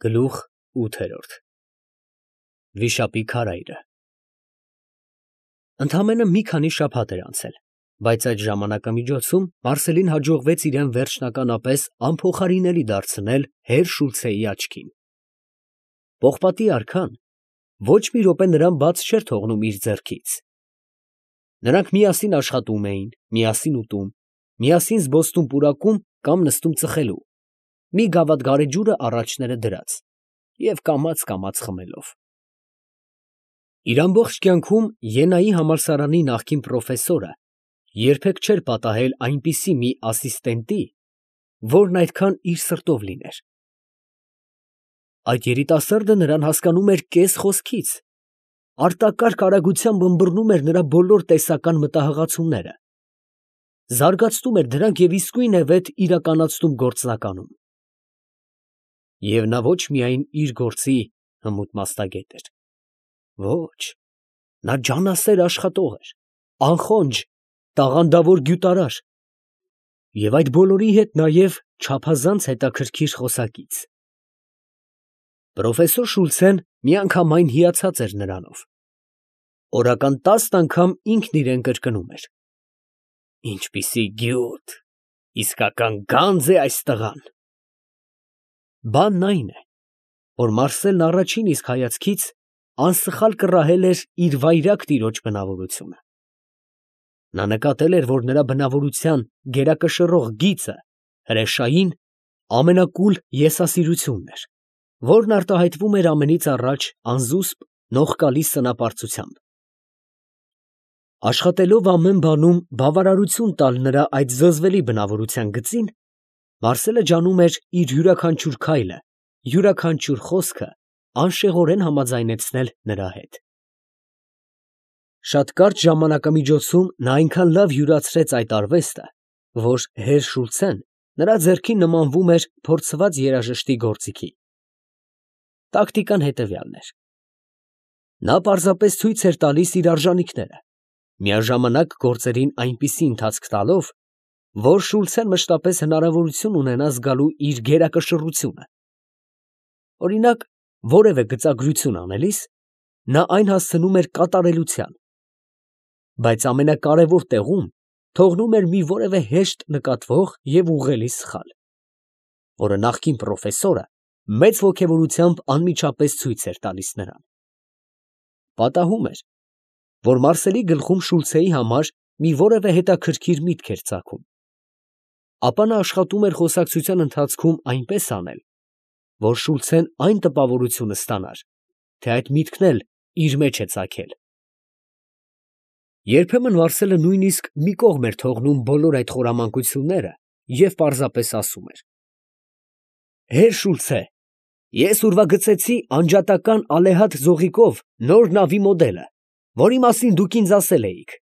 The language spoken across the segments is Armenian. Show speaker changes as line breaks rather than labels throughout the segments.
Գլուխ 8 Վիշապի քարայրը Ընդամենը մի քանի շաբաթ էր անցել, բայց այդ ժամանակամիջոցում Մարսելին հաջողվեց իրան վերջնականապես անփոխարինելի դարձնել հեր Շուլցեի աչքին։ Պողպատի արքան ոչ մի րոպե նրան բաց չէր թողնում իր ձեռքից։ Նրանք միասին աշխատում էին, միասին ուտում, միասին զբոսնում պուրակում կամ նստում ծխելու, մի գավաթ գարեջուրը առաջները դրած և կամաց խմելով։ Իր ամբողջ կյանքում Ենայի համալսարանի նախկին պրոֆեսորը երբեք չէր պատահել այնպիսի մի ասիստենտի, որն այդքան իր սրտով լիներ։ Այդ երիտասարդը նրան հասկանում էր կես խոսքից, արտակարգ արագությամբ ըմբռնում էր նրա բոլոր տեսական մտահղացումները, զարգացնում էր դրանք և իսկույնևեթ իրականացնում գործնականում։ Եվ նա ոչ միայն իր գործի հմուտ մասնագետ էր, ոչ, նա ջանասեր աշխատող էր, անխոնջ, տաղանդավոր գյուտարար և այդ բոլորի հետ նաև չափազանց հետաքրքիր խոսակից։ Պրոֆեսոր Շուլցեն միանգամայն հիացած էր նրանով, օրական 10 անգամ ինքն իրան կրկնում էր. «Ինչպիսի գյուտ, իսկական գանձ է այս տղան»։ Բանն այն է, որ Մարսելն առաջին իսկ հայացքից անսխալ կռահել էր իր վայրագ տիրոջ բնավորությունը։ Նա նկատել էր, որ նրա բնավորության գերակշռող գիծը հրեշային, ամենակուլ եսասիրությունն էր, որն արտահայտվում էր ամենից առաջ անզուսպ, նողկալի սնապարծությամբ։ Աշխատելով ամեն բանում բավարարություն տալ նրա այդ զզվելի բնավորության գծին, Մարսելը ջանում էր իր յուրաքանչյուր քայլը, յուրաքանչյուր խոսքը անշեղորեն համաձայնեցնել նրա հետ։ Շատ կարճ ժամանակամիջոցում նա այնքան լավ յուրացրեց այդ արվեստը, որ հեր Շուլցեն նրա ձեռքին նմանվում էր փորձված երաժշտի գործիքի։ Տակտիկան հետևյալն էր. նա պարզապես ցույց էր տալիս իր արժանիքները, միաժամանակ գործերին այնպիսի ընթացք տալով, որ Շուլցեն մշտապես հնարավորություն ունենա զգալու իր գերակշռությունը։ Օրինակ, որևէ գծագրություն անելիս, նա այն հասցնում էր կատարելության, բայց ամենակարևոր տեղում թողնում էր մի որևէ հեշտ նկատվող և ուղղելի սխալ, որը նախկին պրոֆեսորը մեծ ոգևորությամբ անմիջապես ցույց էր տալիս նրան։ Պատահում էր, որ Մարսելի գլխում Շուլցեի համար մի որևէ հետաքրքիր միտք էր ծագում, ապա նա աշխատում էր խոսակցության ընթացքում այնպես անել, որ Շուլցեն այն տպավորությունը ստանար, թե այդ միտքն էլ իր մեջ է ծագել։ Երբեմն Մարսելը նույնիսկ մի կողմ էր թողնում բոլոր այդ խորամանկությունները և պարզապես ասում էր. «Հեր Շուլցե, ես ուրվագծեցի անջատական ալեհատ զողիկով նոր նավի մոդելը, որի մասին դուք ինձ ասել էիք»։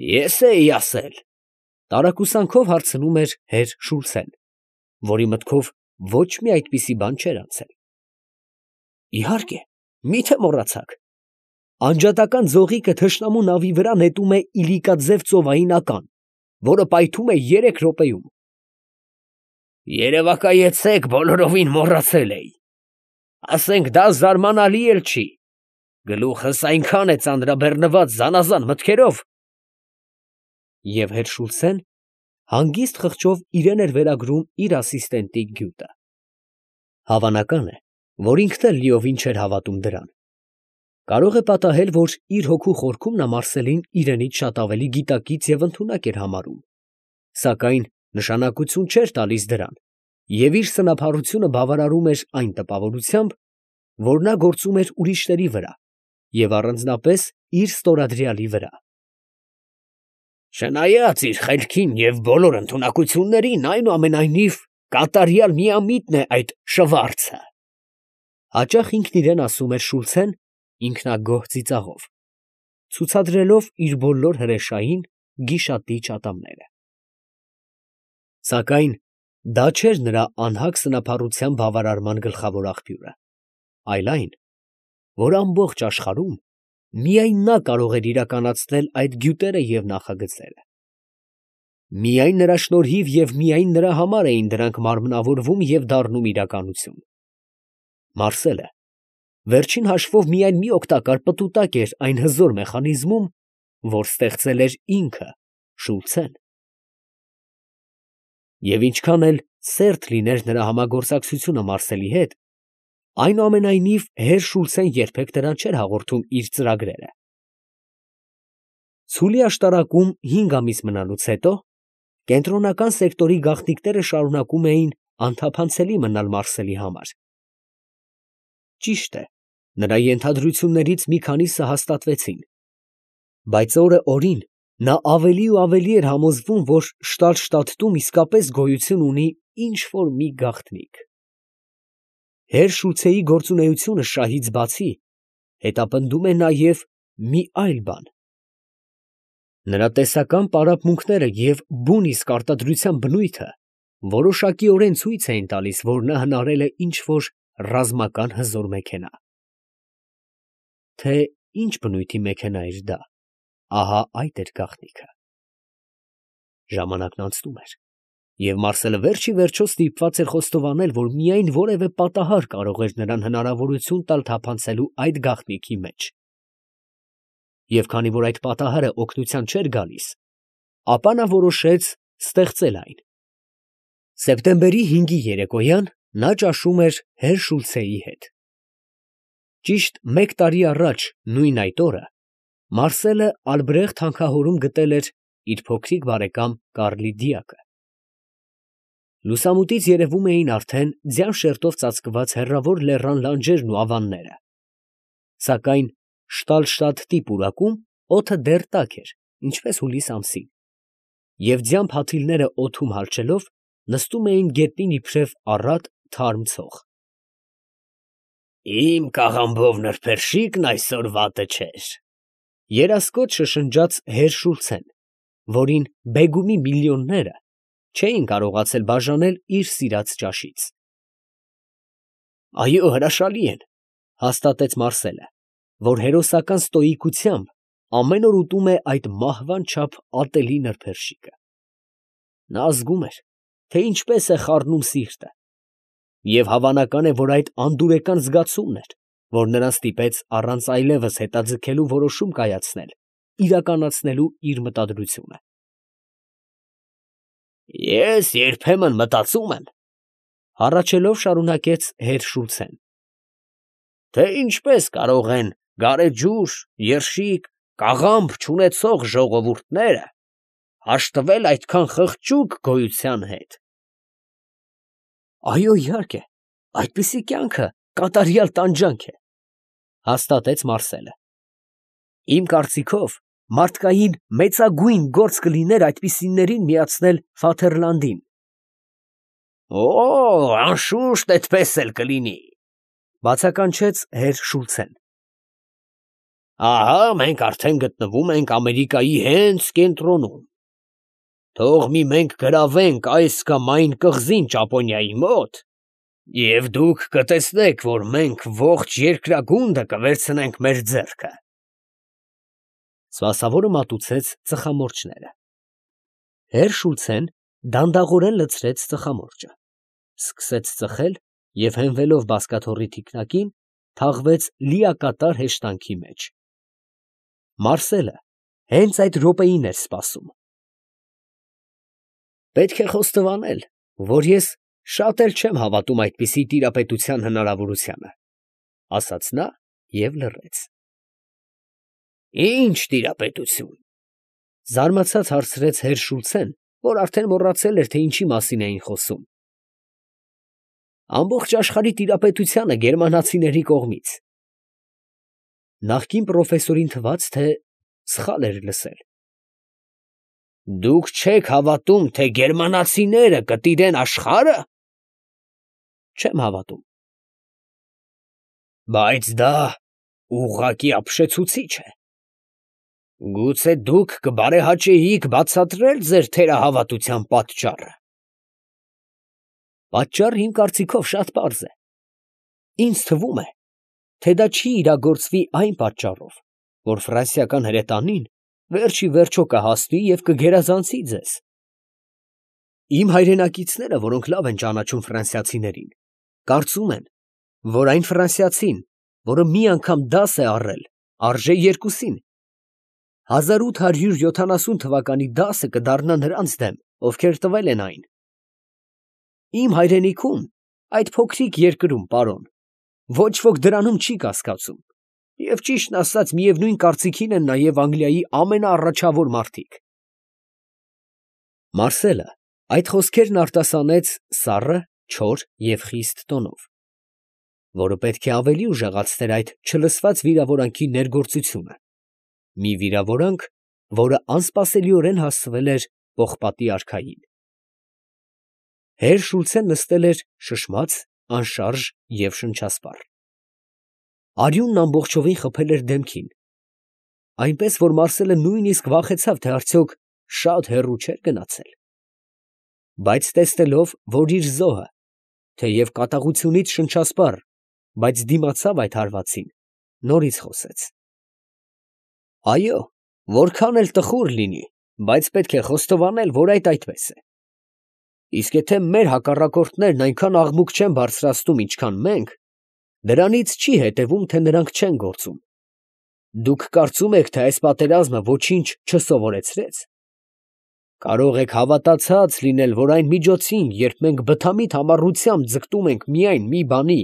«Ես էի ասել», տարակուսանքով հարցնում էր հեր Շուլցեն, որի մտքով ոչ մի այդպիսի բան չէր անցել։ «Իհարկե, մի՞թե մոռացաք. անջատական ձողիկը թշնամու նավի վրա նետում է իլիկաձև ծովային ական, որը պայթում է 3 րոպեում»։ «Երևակայեցեք, բոլորովին մոռացել էի, ասենք դա զարմանալի էլ չի, գլուխս այնքան է ծանրաբեռնված զանազան մտքերով»։ Եվ հեր Շուլցեն հանգիստ խղճով իրան էր վերագրում իր ասիստենտի գյուտը։ Հավանական է, որ ինքն էլ լիովին չէր հավատում դրան։ Կարող է պատահել, որ իր հոգու խորքում նա Մարսելին իրենից շատ ավելի գիտակից և ընդունակ էր համարում, սակայն նշանակություն չէր տալիս դրան և իր սնափառությունը բավարարում էր այն տպավորությամբ, որ նա գործում էր ուրիշների վրա և առանձնապես իր ստորադրյալի վրա։ «Չնայած իր խելքին և բոլոր ընդունակություններին, այնուամենայնիվ կատարյալ միամիտն է այդ շվարցը», հաճախ ինքն իրան ասում էր Շուլցեն ինքնագոհ ծիծաղով, ցուցադրելով իր բոլոր հրեշային, գիշատիչ ատամները։ Սակայն դա չէր նրա անհագ սնափառության բավարարման գլխավոր աղբյուրը, այլ այն, որ ամբողջ աշխարհում միայն նա կարող էր իրականացնել այդ գյուտերը և նախագծերը։ Միայն նրա շնորհիվ և միայն նրա համար էին դրանք մարմնավորվում և դառնում իրականություն։ Մարսելը վերջին հաշվով միայն մի օգտակար պտուտակ էր այն հզոր մեխանիզմում, որ ստեղծել էր ինքը՝ Շուլցեն։ Եվ ինչքան էլ սերտ լիներ նրա համագործակցությունը Մարսելի հետ, այնուամենայնիվ հեր Շուլցեն երբեք նրան չէր հաղորդում իր ծրագրերը։ Ցուլի աշտարակում 5 ամիս մնալուց հետո կենտրոնական սեկտորի գաղտնիքները շարունակում էին անթափանցելի մնալ Մարսելի համար։ Ճիշտ է, նրա ենթադրություններից մի քանիսը հաստատվեցին, բայց օրը օրին նա ավելի ու ավելի էր համոզվում, որ Շտալշտադտում իսկապես գոյություն ունի ինչ֊որ մի գաղտնիք։ Հեր Շուլցեի գործունեությունը շահից բացի հետապնդում է նաև մի այլ բան։ Նրա տեսական պարապմունքները և բուն իսկ արտադրության բնույթը որոշակիորեն ցույց էին տալիս, որ նա հնարել է ինչ֊որ ռազմական հզոր մեքենա։ Թե ինչ բնույթի մեքենա էր դա, ահա այդ էր գաղտնիքը։ Ժամանակն անցնում էր, և Մարսելը վերջ ի վերջո ստիպված էր խոստովանել, որ միայն որևէ պատահար կարող էր նրան հնարավորություն տալ թափանցելու այդ գաղտնիքի մեջ։ Եվ քանի որ այդ պատահարը օգնության չէր գալիս, ապա նա որոշեց ստեղծել այն։ Սեպտեմբերի 5-ի երեկոյան նա ճաշում էր հեր Շուլցեի հետ։ Ճիշտ մեկ տարի առաջ նույն այդ օրը Մարսելը Ալբրեխտ հանքահորում գտել էր իր փոքրիկ բարեկամ Կարլի դիակը։ Լուսամուտից երևում էին արդեն ձյան շերտով ծածկված հեռավոր լեռան լանջերն ու ավանները, սակայն Շտալշտադտի պուրակում օդը դեռ տաք էր, ինչպես հուլիս ամսին, և ձյան փաթիլները օդում հալչելով նստում էին գետնին իբրև առատ թարմ ցող։ «Իմ կաղամբով նրբերշիկն այսօր վատը չէր», երասկոտ շշնջաց հեր Շուլցեն, որին բեգումի միլիոնները չէին կարողացել բաժանել իր սիրած ճաշից։ «Այո, հրաշալի են», հաստատեց Մարսելը, որ հերոսական ստոիկությամբ ամեն օր ուտում է այդ մահվան չափ ատելի նրբերշիկը։ Նա զգում էր, թե ինչպես է խառնում սիրտը, և հավանական է, որ այդ անդուրեկան զգացումն էր, որ նրան ստիպեց առանց այլևս հետաձգելու որոշում կայացնել, իրականացնելու իր մտադրությունը։ «Ես երբեմն մտածում եմ, ֊ հառաչելով շարունակեց հեր Շուլցեն, ֊ թե ինչպես կարող են գարեջուր, երշիկ, կաղամբ չունեցող ժողովուրդները հաշտվել այդքան խղճուկ գոյության հետ»։ «Այո, իհարկե, այդպիսի կյանքը կատարյալ տանջանք է», հաստատեց Մարսելը։ «Իմ կարծիքով, մարդկային մեծագույն գործ կլիներ այդպիսիներին միացնել Ֆաթերլանդին»։ «Օ, անշուշտ էդպես էլ կլինի», բացականչեց հեր Շուլցեն։ «Ահա մենք արդեն գտնվում ենք Ամերիկայի հենց կենտրոնում. թող մի մենք գրավենք այս կամ այն կղզին Ճապոնիայի մոտ, և դուք կտեսնեք, որ մենք ողջ երկրագունդը կվերցնենք մեր ձեռքը»։ Սպասավորը մատուցեց ծխամորճները։ Հեր Շուլցեն դանդաղորեն լցրեց ծխամորճը, սկսեց ծխել և հենվելով բազկաթոռի թիկնակին, թաղվեց լիակատար հեշտանքի մեջ։ Մարսելը հենց այդ րոպեին էր սպասում։ «Պետք է խոստովանել, որ ես շատ էլ չեմ հավատում այդպիսի տիրապետության հնարավորությանը», ֊ ասաց նա և լռեց։ «Ի՞նչ տիրապետություն», ֊ զարմացած հարցրեց հեր Շուլցեն, որ արդեն մոռացել էր, թե ինչի մասին էին խոսում։ «Ամբողջ աշխարհի տիրապետությանը գերմանացիների կողմից»։ Նախկին պրոֆեսորին թվաց, թե սխալ էր լսել։ «Դուք չեք հավատում, թե գերմանացիները կտիրեն աշխարհը»։ «Չեմ հավատում»։ «Բայց դա ուղղակի ապշեցուցիչ է։ Գուցե դուք կբարեհաճեիք բացատրել ձեր թերահավատության պատճառը»։ «Պատճառը իմ կարծիքով շատ պարզ է։ Ինձ թվում է, թե դա չի իրագործվի այն պատճառով, որ ֆրանսիական հրետանին վերջ ի վերջո կհասնի և կգերազանցի ձեզ, Իմ հայրենակիցները, որոնք լավ են ճանաչում ֆրանսիացիներին, կարծում են, որ այն ֆրանսիացին, որը մի անգամ դաս է առել, արժե երկուսին։ 1870 թվականի դասը կդառնա նրանց դեմ, ովքեր տվել են այն։ Իմ հայրենիքում, այդ փոքրիկ երկրում, պարոն, ոչ ոք դրանում չի կասկածում, և ճիշտն ասած միևնույն կարծիքին են նաև Անգլիայի ամենաառաջավոր մարդիկ։ Մարսելը այդ խոսքերն արտասանեց սառը, չոր և խիստ տոնով, որը պետք է ավելի ուժեղացներ այդ չլսված վիրավորանքի ներգործությունը, մի վիրավորանք, որը անսպասելիորեն հասցվել էր պողպատի արքային։ Հեր Շուլցեն նստել էր շշմած, անշարժ և շնչասպառ։ Արյունն ամբողջովին խփել էր դեմքին, այնպես որ Մարսելը նույնիսկ վախեցավ, թե արդյոք շատ հեռու չէր գնացել։ Բայց տեսնելով, որ իր զոհը, թեև կատաղությունից շնչասպառ, բայց դիմացավ այդ հարվածին, նորից խոսեց. «Այո, որքան էլ տխուր լինի, բայց պետք է խոստովանել, որ այդպես է։ Իսկ եթե մեր հակառակորդներն այնքան աղմուկ չեն բարձրացնում, ինչքան մենք, դրանից չի հետևում, թե նրանք չեն գործում։ Դուք կարծում եք, թե այս պատերազմը ոչինչ չսովորեցրեց։ Կարող եք հավատացած լինել, որ այն միջոցին, երբ մենք բթամիտ համառությամբ ձգտում ենք միայն մի բանի,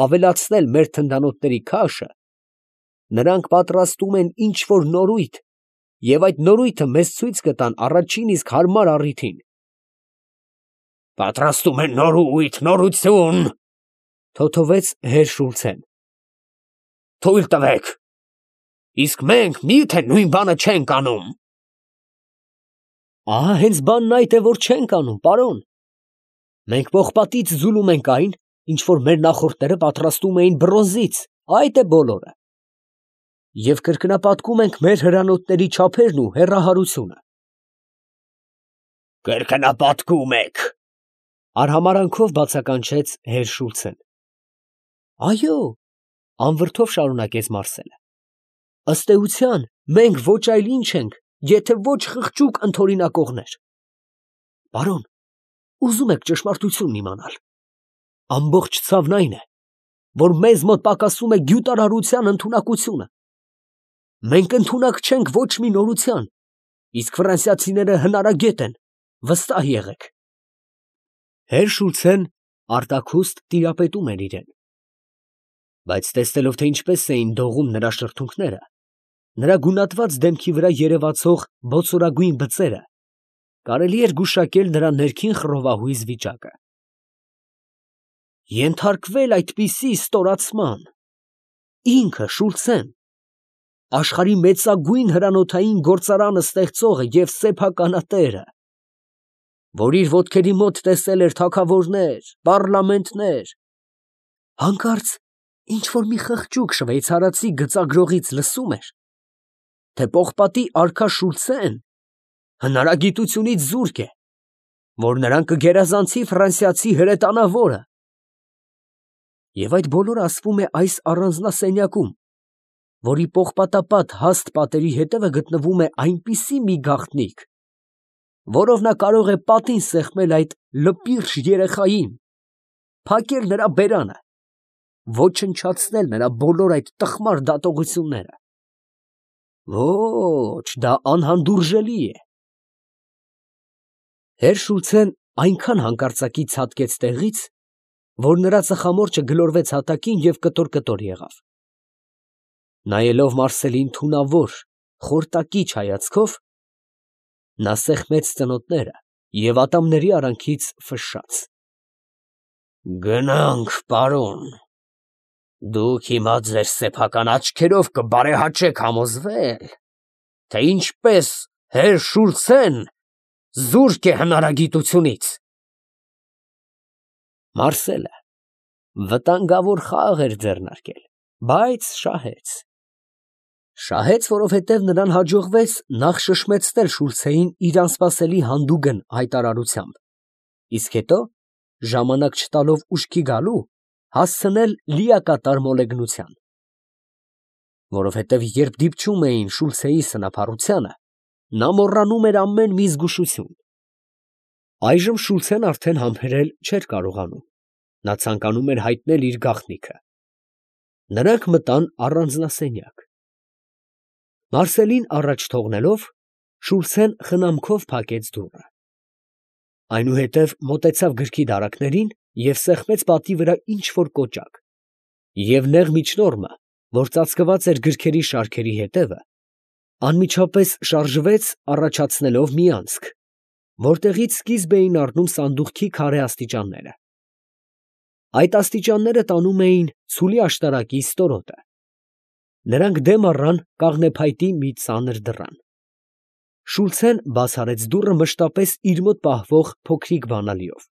ավելացնել մեր թնդանոթների քաշը, նրանք պատրաստում են ինչ֊որ նորույթ, և այդ նորույթը մեզ ցույց կտան առաջին իսկ հարմար առիթին»։ «Պատրաստում են նորույթ, նորություն, ֊ թոթովեց հեր Շուլցեն, ֊ թույլ տվեք, իսկ մենք մի՞թե նույն բանը չենք անում»։ Ահա հենց բանն այդ է, որ չենք անում, պարոն։ Մենք պողպատից ձուլում ենք այն, ինչ որ մեր նախորդները պատրաստում էին բրոնզից, այդ է բոլորը, և կրկնապատկում ենք մեր հրանոթների չափերն ու հեռահարությունը։ Կրկնապատկում եք, ֊ արհամարանքով բացականչեց հեր Շուլցեն։ Այո, ֊ անվրդով շարունակեց Մարսելը, ըստ էության, մենք ոչ այլ ինչ ենք, եթե ոչ խղճուկ ընդօրինակողներ։ Պարոն, ուզում եք ճշմարտությունն իմանալ։ Ամբողջ ցավն այն է, որ մեզ մոտ պակասում է գյուտարարության ընդունակությունը։ Մենք ընդունակ չենք ոչ մի նորության, իսկ ֆրանսիացիները հնարագետ են, վստահ եղեք։ Հեր Շուլցեն արտաքուստ տիրապետում էր իրեն, բայց տեսնելով, թե ինչպես էին դողում նրա շրթունքները, նրա գունատված դեմքի վրա երևացող բոցորագույն բծերը, կարելի էր գուշակել նրա ներքին խռովահույզ վիճակը։ Ենթարկվել այդպիսի ստորացման, ինքը Շուլցեն, աշխարհի մեծագույն հրանոթային գործարանը ստեղծողը և սեփականատերը, որ իր ոտքերի մոտ տեսել էր թագավորներ, պառլամենտներ, հանկարծ ինչ֊որ մի խղճուկ շվեյցարացի գծագրողից լսում էր, թե պողպատի արքա Շուլցեն հնարագիտությունից զուրկ է, որ նրան կգերազանցի ֆրանսիացի հրետանավորը, և այդ բոլորը ասվում է այս առանձնասենյակում, որի պողպատապատ հաստ պատերի հետևը գտնվում է այնպիսի մի գաղտնիք, որով նա կարող է պատին սեղմել այդ լպիրշ երեխային, փակել նրա բերանը, ոչնչացնել նրա բոլոր այդ տխմար դատողությունները։ Ոչ, դա անհանդուրժելի է։ Հեր Շուլցեն այնքան հանկարծակի ցատկեց տեղից, որ նրա ծխամորճը գլորվեց հատակին և կտոր եղավ։ Նայելով Մարսելին թունավոր, խորտակիչ հայացքով, նա սեղմեց ծնոտները և ատամների արանքից ֆշշաց. «Գնանք, պարոն, դուք հիմա ձեր սեփական աչքերով կբարեհաճեք համոզվել, թե ինչպես հեր Շուլցեն զուրկ է հնարագիտությունից»։ Մարսելը վտանգավոր խաղ էր ձեռնարկել, բայց շահեց։ Շահեց, որովհետև նրան հաջողվեց նախ շշմեցնել Շուլցեին իր անսպասելի հանդուգն հայտարարությամբ, իսկ հետո, ժամանակ չտալով ուշքի գալու, հասցնել լիակատար մոլեգնության։ Որովհետև երբ դիպչում էին Շուլցեի սնափառությանը, նա մոռանում էր ամեն մի զգուշություն։ Այժմ Շուլցեն արդեն համբերել չէր կարողանում. նա ցանկանում էր հայտնել իր գաղտնիքը։ Նրանք մտան առանձնասենյակ։ Մարսելին առաջ թողնելով, Շուլցեն խնամքով փակեց դուռը։ Այնուհետև մոտեցավ գրքի դարակներին և սեղմեց պատի վրա ինչ֊որ կոճակ, և նեղ միջնորմը, որ ծածկված էր գրքերի շարքերի հետևը, անմիջապես շարժվեց, առաջացնելով մի անցք, որտեղից սկիզբ էին առնում սանդուղքի քարե աստիճանները։ Այդ աստիճանները տանում էին ցուլի աշտարակի ստորոտը։ Նրանք դեմ առան կաղնեփայտի մի ծանր դռան։ Շուլցեն բաց արեց դուռը մշտապես իր մոտ պահվող փոքրիկ բանալիով։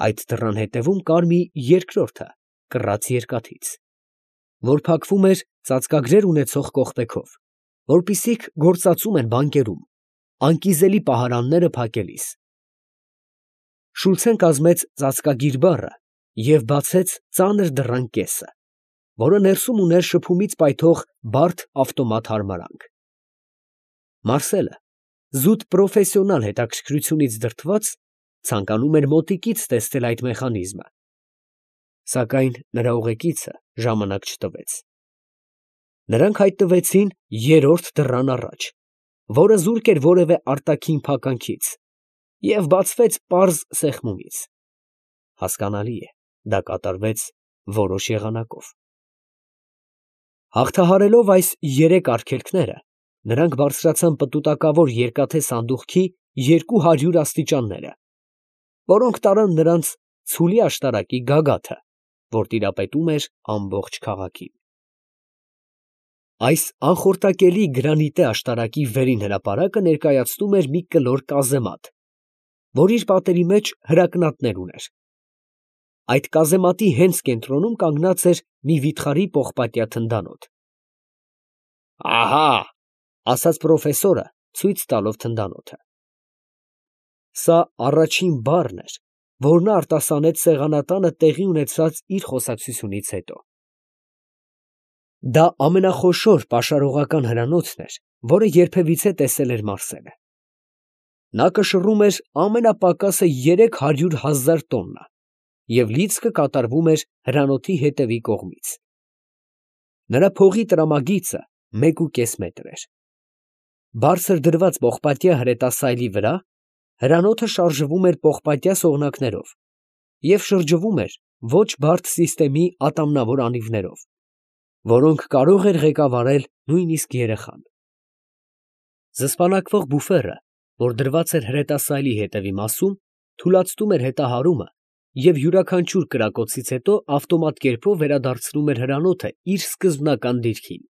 Այդ դռան հետևում կար մի երկրորդը կռած երկաթից, որ փակվում էր ծածկագրեր ունեցող կողպեքով, որպիսիք գործածում են բանկերում, անկիզելի պահարանները փակելիս։ Շուլցեն կազմեց ծածկագիր բառը և բացեց ծանր դռան կեսը, որը ներսում ուներ շփումից պայթող բարդ ավտոմատ հարմարանք։ Մարսելը, զուտ պրոֆեսիոնալ հետաքրքրությունից դրդված, ցանկանում էր մոտիկից տեսնել այդ մեխանիզմը, սակայն նրա ուղեկիցը ժամանակ չտվեց։ Նրանք հայտնվեցին երրորդ դռան առաջ, որը զուրկ էր որևէ արտաքին փականքից, և բացվեց պարզ սեղմումից։ Հասկանալի է, դա կատարվեց որոշ եղանակով։ Հաղթահարելով այս երեք արգելքները, նրանք բարձրացան պտուտակավոր երկաթե սանդուղքի 200 աստիճանները, որոնք տարան նրանց ցուլի աշտարակի գագաթը, որ տիրապետում էր ամբողջ քաղաքին։ Այս անխորտակելի գրանիտե աշտարակի վերին հրապարակը ներկայացնում էր մի կլոր կազեմատ, որ իր պատերի մեջ հրակնատներ ուներ։ Այդ կազեմատի հենց կենտրոնում կանգնած էր մի վիթխարի պողպատյա թնդանոթ։ «Ահա՛, ֊ ասաց պրոֆեսորը, ցույց տալով թնդանոթը։ Սա առաջին բառն էր, որ նա արտասանեց սեղանատանը տեղի ունեցած իր խոսակցությունից հետո։ Դա ամենախոշոր պաշարողական հրանոթն էր, որը երբևիցե տեսել էր Մարսելը։ Նա կշռում էր ամենապակասը 300,000 տոննա և լիցքը կատարվում էր հրանոթի հետևի կողմից։ Նրա փողի տրամագիծը 1,5 մետր էր։ Բարձր դրված պողպատյա հրետասայլի վրա հրանոթը շարժվում էր պողպատյա սողնակներով և շրջվում էր ոչ բարդ սիստեմի ատամնավոր անիվներով, որոնք կարող էր ղեկավարել նույնիսկ երեխան։ Զսպանակվող բուֆերը, որ դրված էր հրետասայլի հետևի մասում, թուլացնում էր հետահարումը և յուրաքանչյուր կրակոցից հետո ավտոմատ կերպով վերադարձնում էր հրանոթը իր սկզբնական դիրքին։